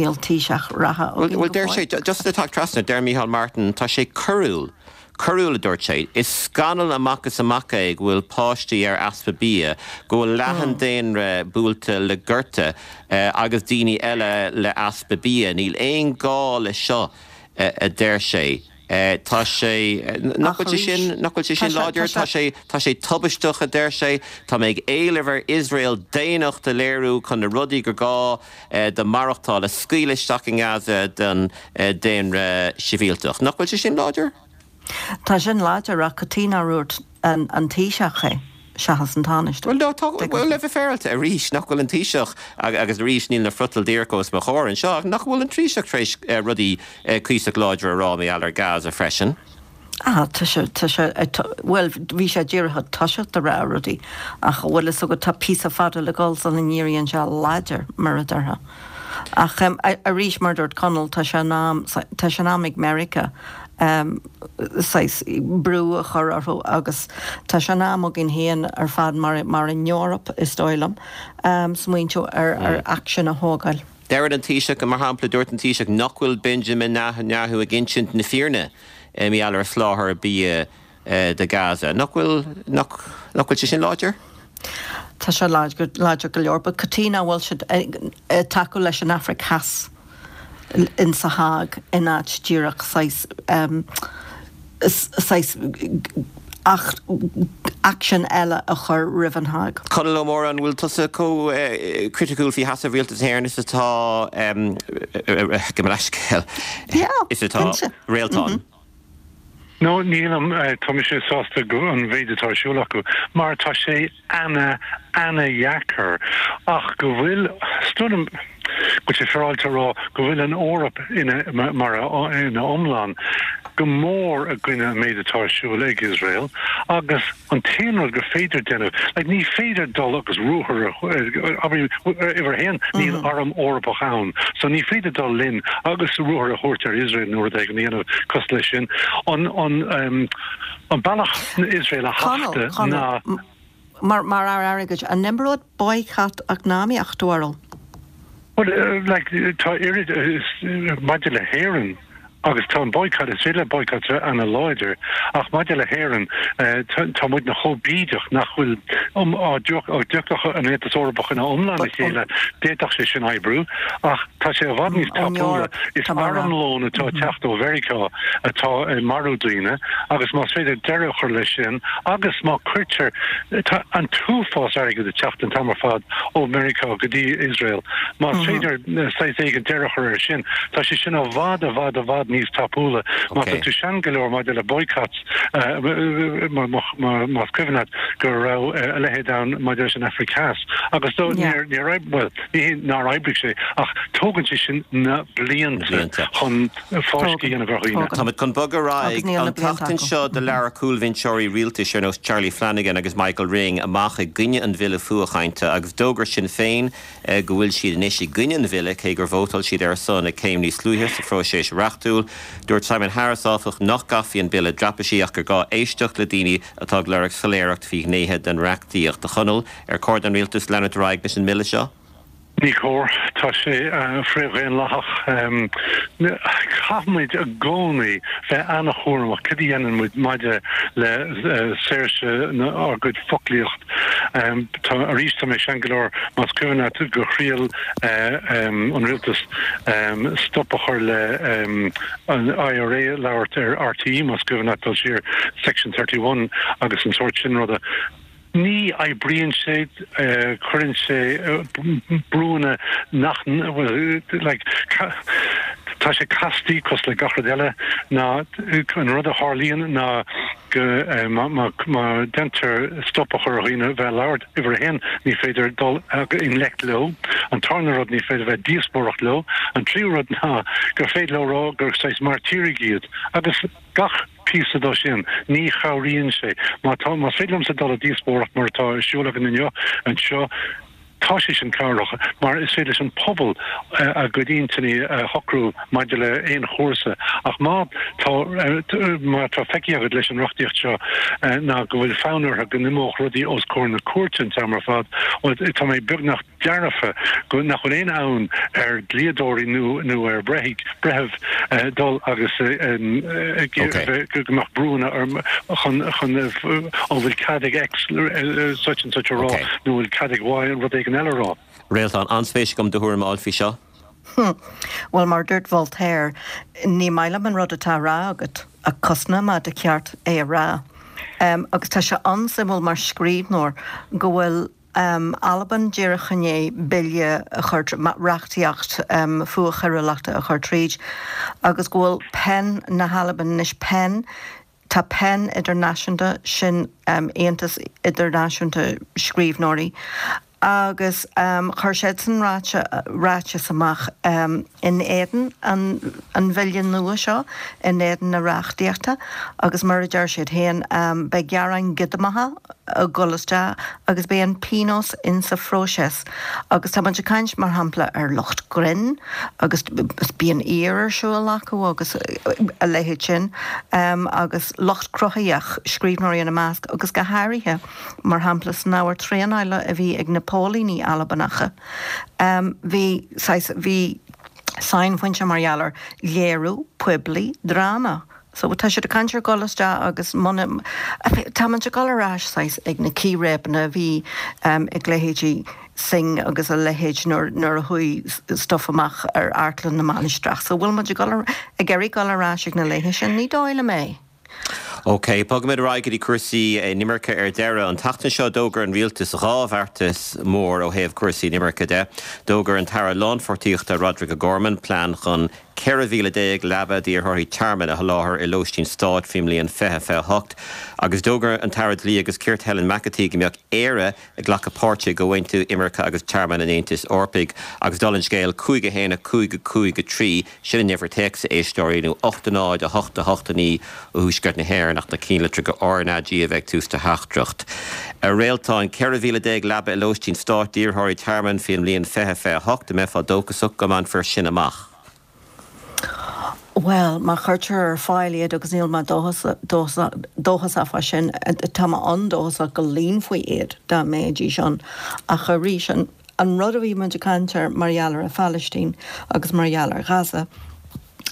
níl Taoiseach reatha. Well deir sé just le teacht trasna deir Micheál Martin tá sé coiriúil. Coiriúil a dúirt sé, is scannal amach is amach é go bhfuil páistí ar easpa bia, go bhfuil leath an daonra buailte le gorta uh, agus daoine eile le easpa bia, níl aon gá le seo uh, a deir sé. Uh, tá sé nach bhfuil sé sin nach bhfuil sé sin láidir tá sé tá sé tubaisteach a deir sé Tá mé ag éileamh ar Israel daonnacht a léiriú chun na rudaí gur gá uh, do maireachtáil a scaoileadh isteach in Gaza don uh, daonra sibhialtach. Nach bhfuil sé sin láidir? Tá sin láidir ach cad chuige nár dhúirt an, an Taoiseach é. Seachas an Tánaiste. Well well le bheith féaráilte arís nach bhfuil an Taoiseach agus arís níl na friotail díreach os mo chomhair anseo nach bhfuil an Taoiseach tar éis rudaí cuíosach láidir a rá mar gheall ar Gaza freisin. Ah tá sé tá sé well bhí sé díreach toiseacht a rá rudaí ach bhfuil so go tá píosa fada le dul sula n-éiríonn sé láidir mar a déarfá. Ach um, arís mar dúirt Conall tá sé tá sé am ag America um, brú a chur orthu agus tá sé am againn féin ar fad mar, mar an Eoraip is dóigh liom um, smaointiú ar, ar mm. action a thógáil. Deir an Taoiseach mar shampla dúirt an Taoiseach nach bhfuil Benjamin Netanyahu ag insint na fírinne mar gheall ar sholáthar bia do Gaza. Nach bhfuil nach bhfuil sé sin láidir? Tá sé láidir go leor, but cad chuige nach bhfuil siad ag tacú leis an Afraic Theas in sa Hág in áit díreach saghas saghas action eile a chur roimh an Hág. Conall Ó Mórdha, an bhfuil tusa chomh criticiúil faoi sheasamh Rialtas na hÉireann is atá go leiscéal is atá Réaltán? No, nílim, tá mise sásta go an mhéid atá ar siúl acu, mar tá sé ana, ana-dheacair, ach go bhfuil, is dóigh liom go bhfuil sé féaráilte a rá go bhfuil an Eoraip ina, mar a, ina iomlán, go mór i gcoinne an méid atá ar siúl ag Iosrael agus an t-aon rud gur féidir déanamh, like ní féidir dul agus ruathar a, abair, uimhir a haon, níl arm Eorpach ann, so ní féidir dul linn agus ruathar a thabhairt ar Iosrael nó rud éigin a dhéanamh cosúil leis sin. An, an, an bealach Iosrael a thachtadh ná. Mar, mar fhear airgid, an n-oibreodh boycott eacnamaíoch, do bharúil? Bhuel, like, tá oiread, maidir le hÉirinn, agus tá an boycott, is féidir le boycott a bheith ana-láidir, ach maidir le hÉirinn, tá muidne chomh bídeach nach bhfuil, dá dtiocfadh an Aontas Eorpach ina iomlán le chéile, d'fhéadfadh sé sin oibriú, ach tá sé i bhfad níos tapúla. Is armlón atá ag teacht ó Mheiriceá atá ag marú daoine, agus más féidir deireadh a chur leis sin, agus má cuirtear, tá an t-uafás airgid ag teacht an t-am ar fad ó Mheiriceá go dtí Iosrael, más féidir saghas éigin deireadh a chur air sin, tá sé sin i bhfad, i bhfad, i bhfad níos tapúla. Má tá tú sean go leor maidir le boycotts, más cuimhin leat go raibh a leithéid ann maidir leis an Afraic Theas, agus níor, níor, bhuel, ní hé nár oibrigh sé, ach tógann sé sin na blianta chun fáisceadh a dhéanamh ar dhaoine. Táimid chun bogadh ar aghaidh. An tseachtain seo do labhair cúlbhinseoirí rialtais ar nós Charlie Flanagan agus Michael Ring amach i gcoinne an bhille fuathchainte agus d'fhógair Sinn Féin go bhfuil siad anois i gcoinne an bhille cé gur vótáil siad ar a son ag céim níos luaithe sa phróiseas reachtúil. Dúirt Simon Harris, áfach, nach gcaithfí an bille a dreapadh ach gur gá éisteacht le daoine atá ag lorg soiléireacht faoi ghnéithe den reachtaíocht. A Chonaill, ar chóir don rialtas leanúint ar aghaidh leis an mbille seo? Ní chóir. Tá sé frith-dhaonlathach. Caithfimid i gcónaí bheith an-chúramach cad a dhéanann muid maidir le saoirse ár gcuid foclaíocht. Tá, arís, tá mé sean go leor, más cuimhin leat gur thriail an rialtas stop a chur le an IRA labhairt ar RTÉ, más cuimhin leat dul siar, Section thirty one agus an sórt sin ruda. Ní oibríonn sé, cuireann sé brúanna nach, bhuel, like, tá sé castaí cosúil le gach rud eile ná an rud a tharlaíonn ná go má má deintear stop a chur ar dhaoine bheith ag labhairt, uimhir a haon, ní féidir dul i ngleic leo, an tarna rud ní féidir bheith ag díospóireacht leo, an tríú rud ná gur féidir leo rá gur saghas mairtírigh iad agus gach píosa dó sin, ní chabhraíonn sé. Má tá, más féidir liomsa dul i díospóireacht mar atá ar siúl againn inniu anseo, tá sé sin cabhrach mar is féidir leis an pobal a gcuid intinní a shocrú maidir le aon chúrsa. Ach má tá, má tá feicthe agat leis an reachtaíocht seo ná go bhfuil fonn orthu go n-imeodh rudaí os comhair na cúirte an t-am ar fad, bhuel, tá mé beagnach dearfa go nach bhfuil aon fhonn ar dhlíodóirí nó nó ar bhreithimh dul agus go mbeadh brúanna chun chun an bhfuil cead ag X such and such a rá nó an bhfuil cead ag Y rud éigin eile a rá. Réaltán, an-spéis agam do thuairim a fháil faoi seo. Bhuel, mar a dúirt Voltaire, ní maith liom an rud atá á rá agat, ach cosnóidh mé do cheart é a rá. Agus tá sé an-suimiúil mar scríbhneoir go bhfuil Albain díreach i ndiaidh bille a chur, reachtaíocht fuathchoiriúlachta a chur tríd agus go bhfuil PEN na hAlban anois, PEN, tá PEN idirnáisiúnta, sin Aontas Idirnáisiúnta Scríbhneoirí, agus chuir siadsan ráiteas amach in éadan an bhille nua seo, in éadan na reachtaíochta agus mar a deir siad féin, beidh gearáin ghiodamacha ag dul isteach agus beidh an pionós insa phróiseas. Agus tá muid ag caint, mar shampla, ar lucht grinn agus bíonn aoir ar siúl acu agus a leithéid sin agus lucht cruthaitheach, scríbhneoirí ina measc agus go háirithe, mar shampla, san ábhar traenála a bhí ag na póilíní Albanacha, bhí saghas, bhí sainphointe mar gheall ar léiriú poiblí dráma So tá siad ag caint ar dhul isteach agus muna tá muid ag dul ar ais saghas ag na círéibeanna a bhí ag leithéidí Synge agus a leithéid nuair nuair a chuaigh stuff amach ar Amharclann na Mainistreach. So bhfuil muid ag dul ag iarraidh dul ar ais ag na laethe sin? Ní dóigh liom é. OK, bogfaimid ar aghaidh go dtí cúrsaí inimirce ar deireadh. An tseachtain seo d'fhógair an rialtas dhá bheartas mór ó thaobh cúrsaí inimirce de. D'fhógair an tAire Lánpháirtíochta Roderic O'Gorman plean chun ceithre mhíle déag leaba d'iarrthóirí tearmainn a sholáthar i lóistín stáit faoin mbliain fiche fiche a hocht agus d'fhógair an tAire Dlí agus Cirt Helen McEntee go mbeadh Éire ag glacadh páirte i gComhaontú Imirce agus Tearmainn an Aontais Eorpaigh agus dála an scéil cúig a haon a cúig a cúig a trí, sin an uimhir téacs a éisteoirí, nó ocht a náid a hocht a hocht a naoi ó Thuaisceart na hÉireann ach na cinnlitreacha RnaG a bheith ag tús do theachtaireacht. A Réaltáin, ceithre mhíle déag leaba i lóistín stáit d'iarrthóirí tearmainn faoin mbliain fiche fiche a hocht, an mbeifeá dóchasach go mbainfear sin amach? Bhuel, má chuirtear ar fáil iad, agus níl mé dóchasach fá sin, tá mé an-dóchasach go líonfaí iad dá mbeidís ann. Ach arís, an rud a bhí muid ag caint air mar gheall ar an Phalaistín agus mar gheall ar Ghaza,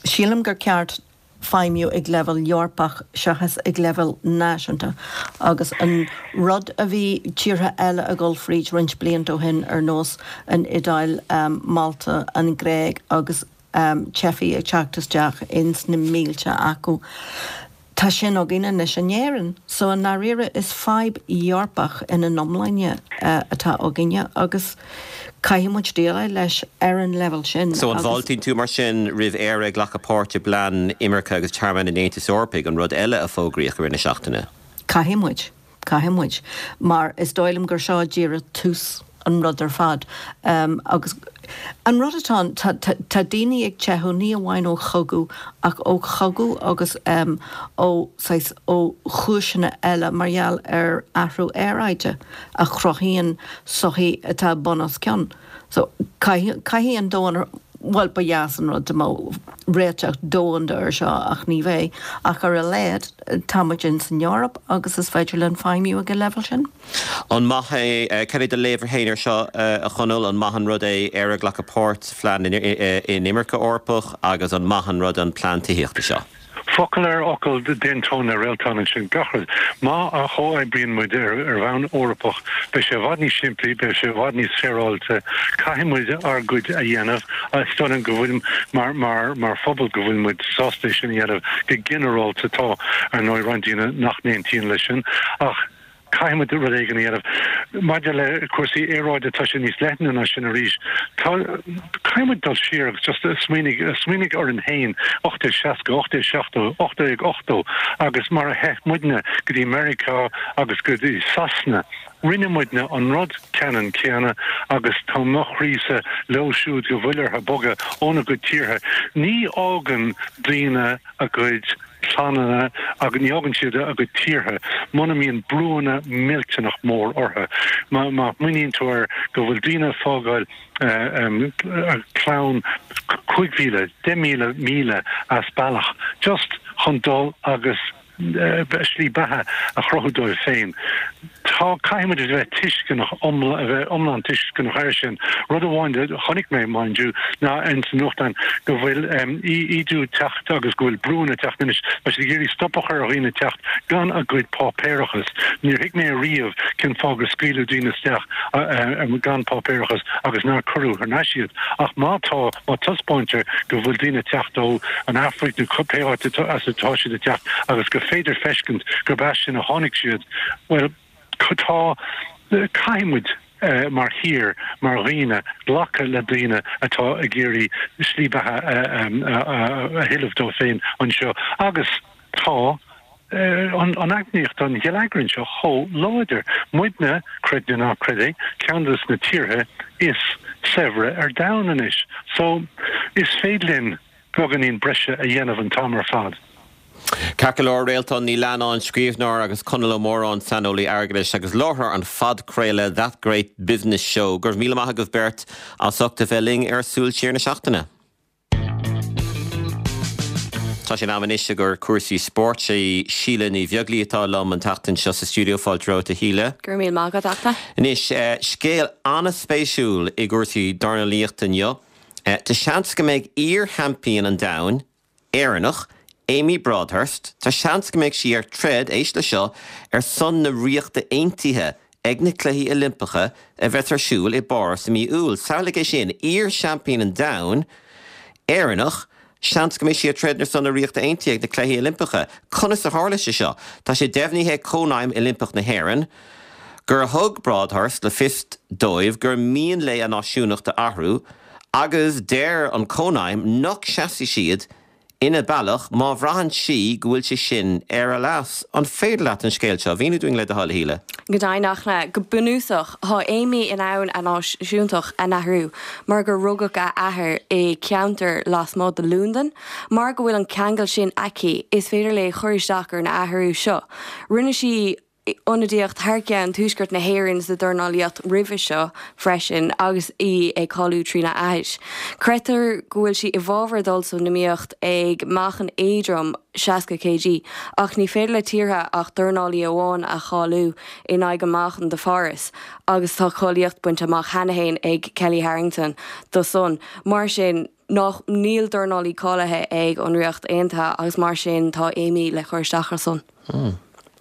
sílim gur ceart feidhmiú ag leibhéal Eorpach seachas ag leibhéal náisiúnta agus an rud a bhí tíortha eile ag dul fríd roinnt blianta ó shin ar nós an Iodáil, Málta, an Ghréig agus teifigh ag teacht isteach ins na mílte acu. Tá sin againn anois in Éirinn. So i ndáiríre is fadhb Eorpach ina n-iomláine atá againne agus caithfidh muid déileáil leis ar an leibhéal sin. So an bhfáiltíonn tú mar sin roimh Éire ag glacadh páirt i bplean imirce agus tearmainn an Aontais Eorpaigh, an rud eile a fógraíodh i rith na seachtaine? Caithfidh muid. Caithfidh muid. Mar is dóigh liom gur seo díreach tús an rud ar fad. Agus an rud atá ann, tá, tá daoine ag teitheadh ní amháin ó chogadh ach ó chogadh agus ó, saghas, ó chúiseanna eile mar gheall ar athrú aeráide a chruthaíonn sochaí atá bun os cionn. So, caithfidh, caithfidh an domhan, bhuel, ba dheas an rud dá mbeadh réiteach domhanda ar seo ach ní bheidh. Ach ar a laghad, tá muid ins an Eoraip agus is féidir linn feidhmiú ag an leibhéal sin. An maith é, cad é do léamh féin ar seo, a Chonaill, an maith an rud é Éire ag glacadh páirt sa phlean inimirce Eorpach agus an maith an rud an plean tithíochta seo? Focal ar fhocal, d'aontóinn le Réaltán ansin. Gach rud. Má chomhoibríonn muid ar bhonn Eorpach, beidh sé i bhfad níos simplí, beidh sé i bhfad níos féaráilte. Caithfidh muid ár gcuid a dhéanamh. Is dóigh liom go bhfuil, mar, mar, mar phobal, go bhfuil muid sásta é sin a dhéanamh go ginearálta. Tá, ar ndóigh, roinnt daoine nach n-aontaíonn leis sin. Ach. Caithfidh muid rud éigin a dhéanamh. Maidir le cúrsaí aeráide, tá sé níos leithne ná sin arís. Tá, caithfidh muid dul siar agus just smaoinigh, smaoinigh orainn féin, ocht déag seasca, ocht déag seachtó, ocht déag ochtó agus mar a theith muidne go dtí Meiriceá agus go dtí Sasana, rinne muidne an rud ceannann céanna agus tá mo chroísa leo siúd go bhfuil orthu bogadh óna gcuid tíortha. Ní fhágann daoine a gcuid. clanna agus ní fhágann siad a gcuid tíortha muna mbíonn brúanna millteanach mór orthu. Má smaoiníonn tú air go bhfuil daoine ag fágáil a gclann cúig mhíle, deich míle míle as bealach just chun dul agus slí beatha a chruthú dóibh féin. Tá, caithfidh muid a bheith tuisceanach, a bheith iomlán tuisceanach air sin. Rud amháin a chonaic mé, mind you, ná ins an nuachtán go bhfuil ídiú ag teacht agus go bhfuil brúanna ag teacht anois. Tá siad ag iarraidh stop a chur ar dhaoine teacht gan a gcuid páipéarachas. Níor thuig mé ariamh cén fáth gur scaoileadh daoine isteach gan páipéarachas agus nár cuireadh thar n-ais iad. Ach má tá, má taispeáintear go bhfuil daoine ag teacht ó an Afraic nó pé áit as atá siad ag teacht agus gur féidir feiscint gurb as sin a tháinig siad, bhuel, tá, caithfidh muid mar thír, mar dhaoine, glacadh le daoine atá ag iarraidh slí beatha a thuilleamh dóibh féin anseo agus tá an eacnamaíocht, an geilleagar anseo chomh láidir. Muidne, creid nó ná creid é, ceann de na tíortha is saibhre ar domhan anois. So, is féidir linn beagáinín breise a dhéanamh an t-am ar fad. Ceart go leor, Réaltán Ní Leannáin, scríbhneoir, agus Conall Ó Móráin, saineolaí airgeadais agus láithreoir an phodchraoladh That Great Business Show. Go raibh míle maith agaibh beirt as ucht a bheith linn ar Súil Siar na Seachtaine. Tá sé in am anois i gcomhair cúrsaí spóirt. Sé Síle Ní Bheaglaoí atá liom an tseachtain seo sa stiúideo. Fáilte romhat, a Shíle. Go raibh míle maith agat, a Achta. Anois, scéal an-spéisiúil i gcúrsaí dornálaíochta inniu. Tá seans go mbeidh iar-sheaimpín an domhain, Éireannach, Amy Broadhurst, tá seans go mbeidh sí ar troid, éist le seo, ar son na Ríochta Aontaithe ag na Cluichí Oilimpeacha a bheas ar siúl i bPáras i mí Iúil. Samhlaigh é sin, iar-seaimpín an domhain, Éireannach, seans go mbeidh sí ag troid ar son na Ríochta Aontaithe ag na Cluichí Oilimpeacha. Conas a tharla sé seo? Tá sé deimhnithe ag Cónaidhm Oilimpeach na hÉireann gur thug Broadhurst le fios dóibh gur mian léi a náisiúnacht a athrú agus deir an Cónaidhm nach seasfaidh siad ina bealach má bhraitheann sí go bhfuil sé sin ar a leas. An féidir leat an scéal seo a mhíniú dúinn le do thoil, a Shíle? Go deimhin, a Fhachtna, go bunúsach, tá Amy in ann a náisiúntacht a athrú mar gur rugadh a athair i ceantar lasmuigh de Londain. Mar go bhfuil an ceangal sin aici, is féidir léi cur isteach ar an athrú seo. Rinne sí ionadaíocht thar ceann Tuaisceart na hÉireann sa dornálaíocht roimhe seo freisin agus í ag cáiliú trína athair. Creidtear go bhfuil sí i bhfabhar dul san iomaíocht ag meáchan éadrom seasca kg ach ní féidir le tíortha ach dornálaí amháin a cháiliú in aghaidh an meáchan do Pháras agus tá cáilíocht bainte amach cheana féin ag Kellie Harrington do san. Mar sin, nach níl dornálaí cáilithe ag an Ríocht Aontaithe agus mar sin tá Amy le cur isteach ar son.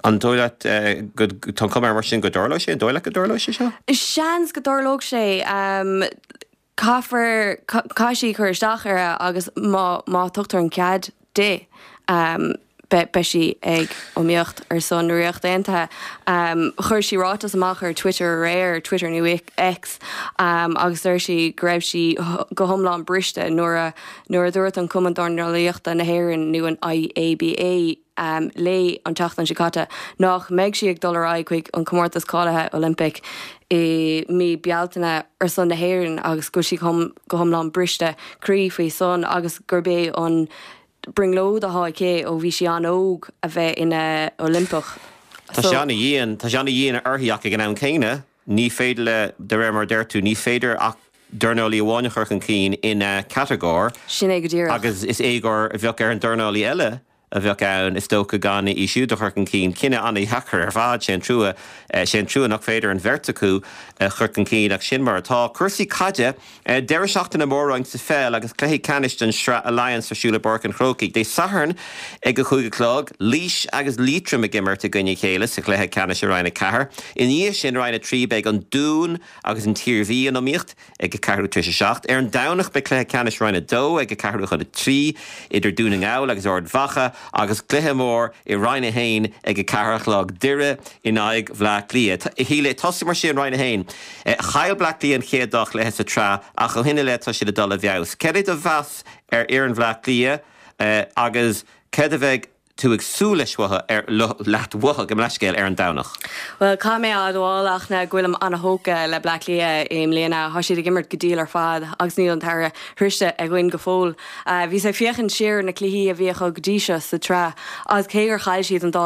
An dóigh leat go, tá an chuma air mar sin go dtarlóidh sé, an dóigh leat go dtarlóidh sé seo? Seans go dtarlódh sé. Caithfear, caithfidh sí cur isteach air agus má, má tugtar an cead di, beidh sí ag iomaíocht ar son na Ríochta Aontaithe. Chuir sí ráiteas amach ar Twitter aréir, Twitter nó X, agus deir sí go raibh sí go hiomlán briste nuair a, nuair a dúirt an Cumann Dornálaíochta na hÉireann nó an IABA, léi an tseachtain seo caite nach mbeidh sí ag dul ar aghaidh chuig an comórtas cáilithe Oilimpeach i mí Bealtaine ar son na hÉireann agus go bhfuil sí go hiomlán briste croí faoi san agus gurb é an brionglóid atá aici ó bhí sí an-óg a bheith ina Oilimpeach. Tá sé ana-dhian, tá sé ana-dhian uirthi ach ag an am céanna ní féidir le, de réir mar a deir tú, ní féidir ach dornálaí amháin a chur chun cinn ina catagóir. Sin é go díreach. Agus is éagóir a bheadh ar an dornálaí eile a bheadh ann, is dócha, gan í siúd a chur chun cinn. Cinneadh an-dheacair ar fad. Sé an trua, sé an trua nach féidir an bheirt acu a chur chun cinn ach sin mar atá. Cúrsaí caide, Deireadh seachtaine mór-roinn sa pheil agus cluichí ceannais den Sraith Alliance ar siúl i bPáirc an Chrócaigh Dé Sathairn ag a cúig a chlog. Laois agus Liatroim ag imirt i gcoinne a chéile sa chluiche ceannais i Roinn a ceathair. Ina dhiaidh sin, Roinn a trí, beidh an Dún agus an tIarmhí in iomaíocht ag a ceathrú tar éis a seacht. Ar an Domhnach beidh cluiche ceannais Roinn a dó ag a ceathrú chun a trí idir Dún na nGall agus Ard Mhacha agus cluiche mór i Roinn a haon ag a ceathair a chlog, Doire in aghaidh Bhleá Cliath. A Shíle, tosaigh mar sin Roinn a haon. Chaill Bleá Cliath an chéad dá chluiche sa tsraith ach ó shin i leith tá siad ag dul i bhfeabhas. Cad é do mheas ar fhoireann Bhleá Cliath agus céard a bheidh tú ag súil leis uathu, ar, leat uathu, gabh mo leithscéal, ar an Domhnach? Bhuel, caithfidh mé a admháil, a Fhachtna, go bhfuilim an-thógtha le Bleá Cliath i mbliana. Tá siad ag imirt go diail ar fad agus níl an t-earrach sroichte againn go fóill. Bhíos ag féachaint siar ar na cluichí a bhí acu go dtí seo sa tsraith agus cé gur chaill siad an dá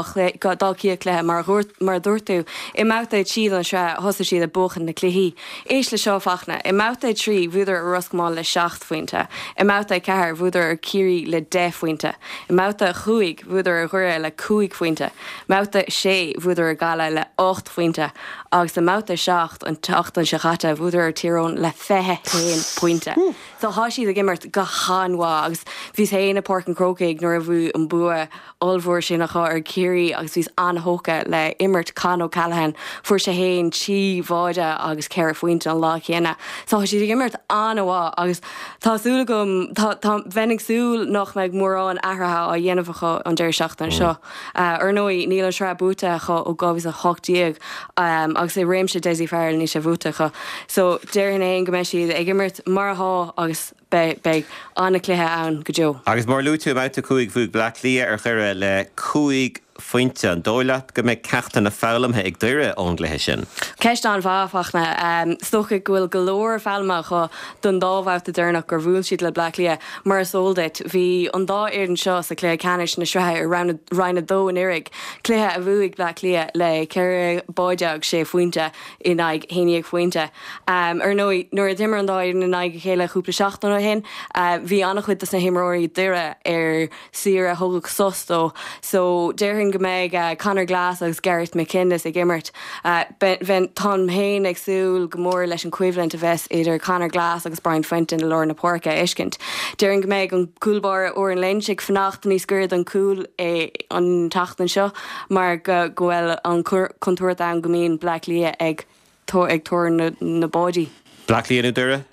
dá chéad chluiche, mar mar a dúirt tú, i mbabhta a trí den tsraith thosaigh siad ag buachan na cluichí. Éist le seo, a Fhachtna, i mbabhta a trí bhuadar ar Ros Comáin le seacht phointe, i mbabhta a ceathair bhuadar ar Ciarraí le deich phointe, i mbabhta a chúig bhuadar ar Dhoire le cúig phointe, mbabhta a sé bhuadar ar Ghaillimh le ocht phointe agus i mbabhta a seacht an tseachtain seo chaite bhuadar ar Tír Eoghain le fiche haon pointe. So thá siad ag imirt go han-mhaith agus bhíos féin i Páirc an Chrócaigh nuair a bhí an bua ollmhór sin acu ar Ciarraí agus bhíos an-thógtha le imirt Con O'Callaghan. Fuair sé féin trí bháide agus ceithre phointe an lá céanna. So thá siad ag imirt an-mhaith agus tá súil agam, tá, tá, bheinn ag súil nach mbeidh mórán athraithe á dhéanamh acu an deireadh seachtaine seo. Ar ndóigh, níl an tsraith buaite acu ó dhá mhíle is a hocht déag agus i réimse Dessie Farrell níl sé buaite acu. So déarfainn féin go mbeidh siad ag imirt mar athá agus beidh, beidh an-chluiche ann go deo. Agus mar a luaigh tú, i mbabhta a cúig bhuaigh Bleá Cliath ar Dhoire le cúig phointe. An dóigh leat go mbeidh ceachtanna foghlamtha ag Doire ón gcluiche sin? Ceist an-mhaith, a Fhachtna. Is dócha go bhfuil go leor foghlamtha acu don dá bhabhta deireanach gur bhuail siad le Bleá Cliath. Mar is eol duit, bhí an dá fhoireann seo sa chluiche ceannais na sraithe i Roinn a dó anuraidh, cluiche a bhuaigh Bleá Cliath le ceithre báide agus sé phointe in aghaidh haon déag phointe. Ar ndóigh, nuair a d'imir an dá fhoireann in aghaidh a chéile cúpla seachtain ó shin, shin. Bhí an-chuid dos na himreoirí Doire ar saoire thógadh sos dó so déarfainn go mbeidh Conor Glass agus Gareth McInnes ag imirt. Táim féin ag súil go mór leis an choimhlint a bheas idir Conor Glass agus Brian Fenton i lár na páirce a fheiscint. Déarfainn go mbeidh an cúl báire Odhrán Lynch ag fanacht níos gaire don chúl an tseachtain seo mar go bhfuil an contúirt ann go mbíonn Bleá Cliath ag ag tuar na báidí. Bleá Cliath nó Doire?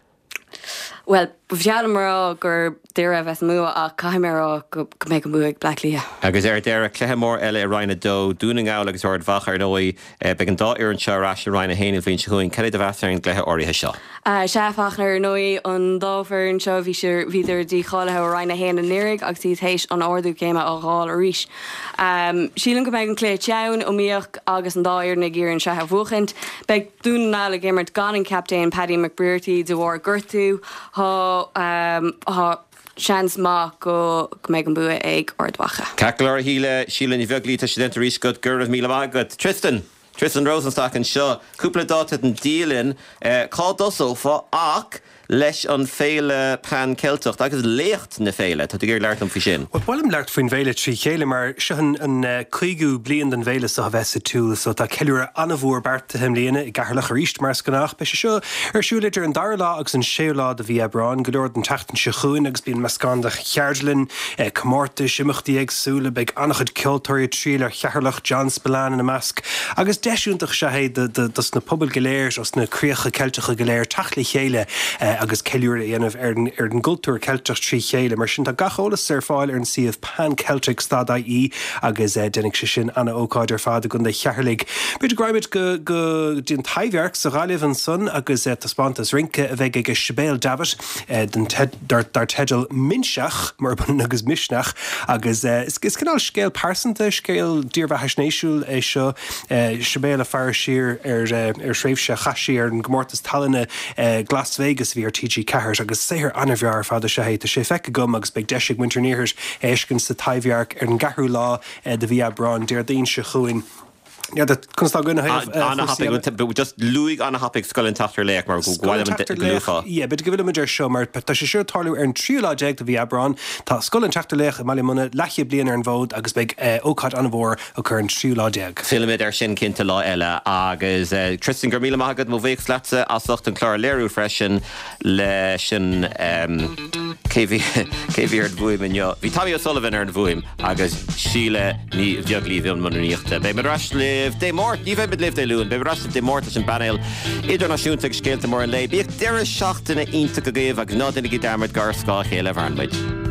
Bhuel, ba bhreá liom a rá gur Doire a bheas an bua ach caithfidh mé a rá go mbeidh an bua ag Bleá Cliath. Agus ar deireadh, cluiche mór eile i Roinn a Dó, Dún na nGall agus Ard Mhacha ar ndóigh. Beidh an dá fhoireann seo ar ais i Roinn a hAon an bhliain seo chugainn. Cad é do mheas ar an gcluiche áirithe seo? Sea, Fachtna, ar ndóigh, an dá fhoireann seo, bhí siad, bhíodar dícháilithe ó Roinn a hAon anuraidh agus iad théis an ardú céime a fháil arís. Sílim go mbeidh an cluiche teann, iomaíoch agus an dá fhoireann ag iarraidh an tsraith a bhuachaint. Beidh Dún na nGall ag imirt gan an captaen Paddy McBrearty de bharr gortú. Tá seans maith go mbeidh an bua ag Ard Mhacha. Ceart go leor a Shíle, Síle Ní Bheaglaoí, tá sé déanta arís agat, go raibh míle maith agat. Tristan! Tristan Rosenstock anseo. Cúpla dáta den dialann. Cá dtosófá ach leis an Féile Pan Ceilteach agus léacht na féile. Tá tú ag iarraidh labhairt liom faoi sin. Bhuel, ba mhaith liom labhairt faoin bhféile trí chéile mar seo an cúigiú bliain den bhféile seo a bheith sa tsiúl so tá ceiliúradh an-mhór beartaithe i mbliana i gCeatharlach arís mar is gnách. Beidh sé seo ar siúl idir an dara lá agus an séú lá de mhí Aibreáin, go leor den tseachtain seo chugainn agus bíonn meascán de cheardlann, comórtais, imeachtaí éagsúla, beidh an-chuid ceoltóirí ag triall ar Cheatharlach, John Spillane ina measc, agus deis iontach is ea é dos na pobail go léir os na críocha Ceilteacha go léir teacht le chéile agus ceiliúradh a dhéanamh ar an gcultúr Ceilteach trí chéile. Mar sin tá gach eolas ar fáil ar an suíomh panceltics dot ie agus déanfaidh sé sin ana-ócáid ar fad i gContae Cheatharlaigh. B'fhéidir go raghaimid go go dtí an Taibhdhearc sa Ghaillimh ansan agus taispeántas rince a bheidh ag Sibéal Davitt dar dar teideal Minseach, murab ionann agus Misneach, agus is cineál scéal pearsanta, scéal dírbheathaisnéisiúil é seo. Sibéal ag faire siar ar ar thréimhse a chaith sí ar an gcomórtas tallainne Glas Vegas a bhí ar T G Ceathair agus saothar an-bhreá ar fad is ea é. Tá sé feicthe agam agus beidh deis ag muintir an Iarthair é a fheiscint sa Taibhdhearc ar an gceathrú lá de mhí Aibreáin, Déardaoin seo chugainn. N'fheadar conas tá againn ó thaobh chúrsaí eile. Just luaigh an-thapaidh Scoil an tSeachtar Laoch mar go bhfuil Scoil an Tseachtar Laoch, yeah, b'fhéidir go bhfillfimid air seo mar tá sé seo ag tarlú ar an tríú lá déag de mhí Aibreáin. Tá Scoil an tSeachtar Laoch i mBaile Munna leathchéad bliain ar an bhfód agus beidh ócáid an-mhór acu ar an tríú lá déag. Fillfimid air sin cinnte lá eile agus Tristan, go raibh míle maith agat, mo bhuíochas leatsa as ucht an clár a léiriú freisin leis an cé bhí cé bhí ar an bhfuaim inniu? Bhí Tommy O'Sullivan ar an bhfuaim agus Síle Ní Bheaglaoí i mbun rúnaíochta. Beidh muid ar ais libh Dé Máirt, ní bheidh muid libh Dé Luain, beidh muid ar ais libh Dé Máirt leis an bpainéal idirnáisiúnta agus scéalta móra an lae. Bíodh deireadh seachtaine iontach agaibh agus ná déanaigí dearmad gur ar scáth a chéile a mhaireann muid.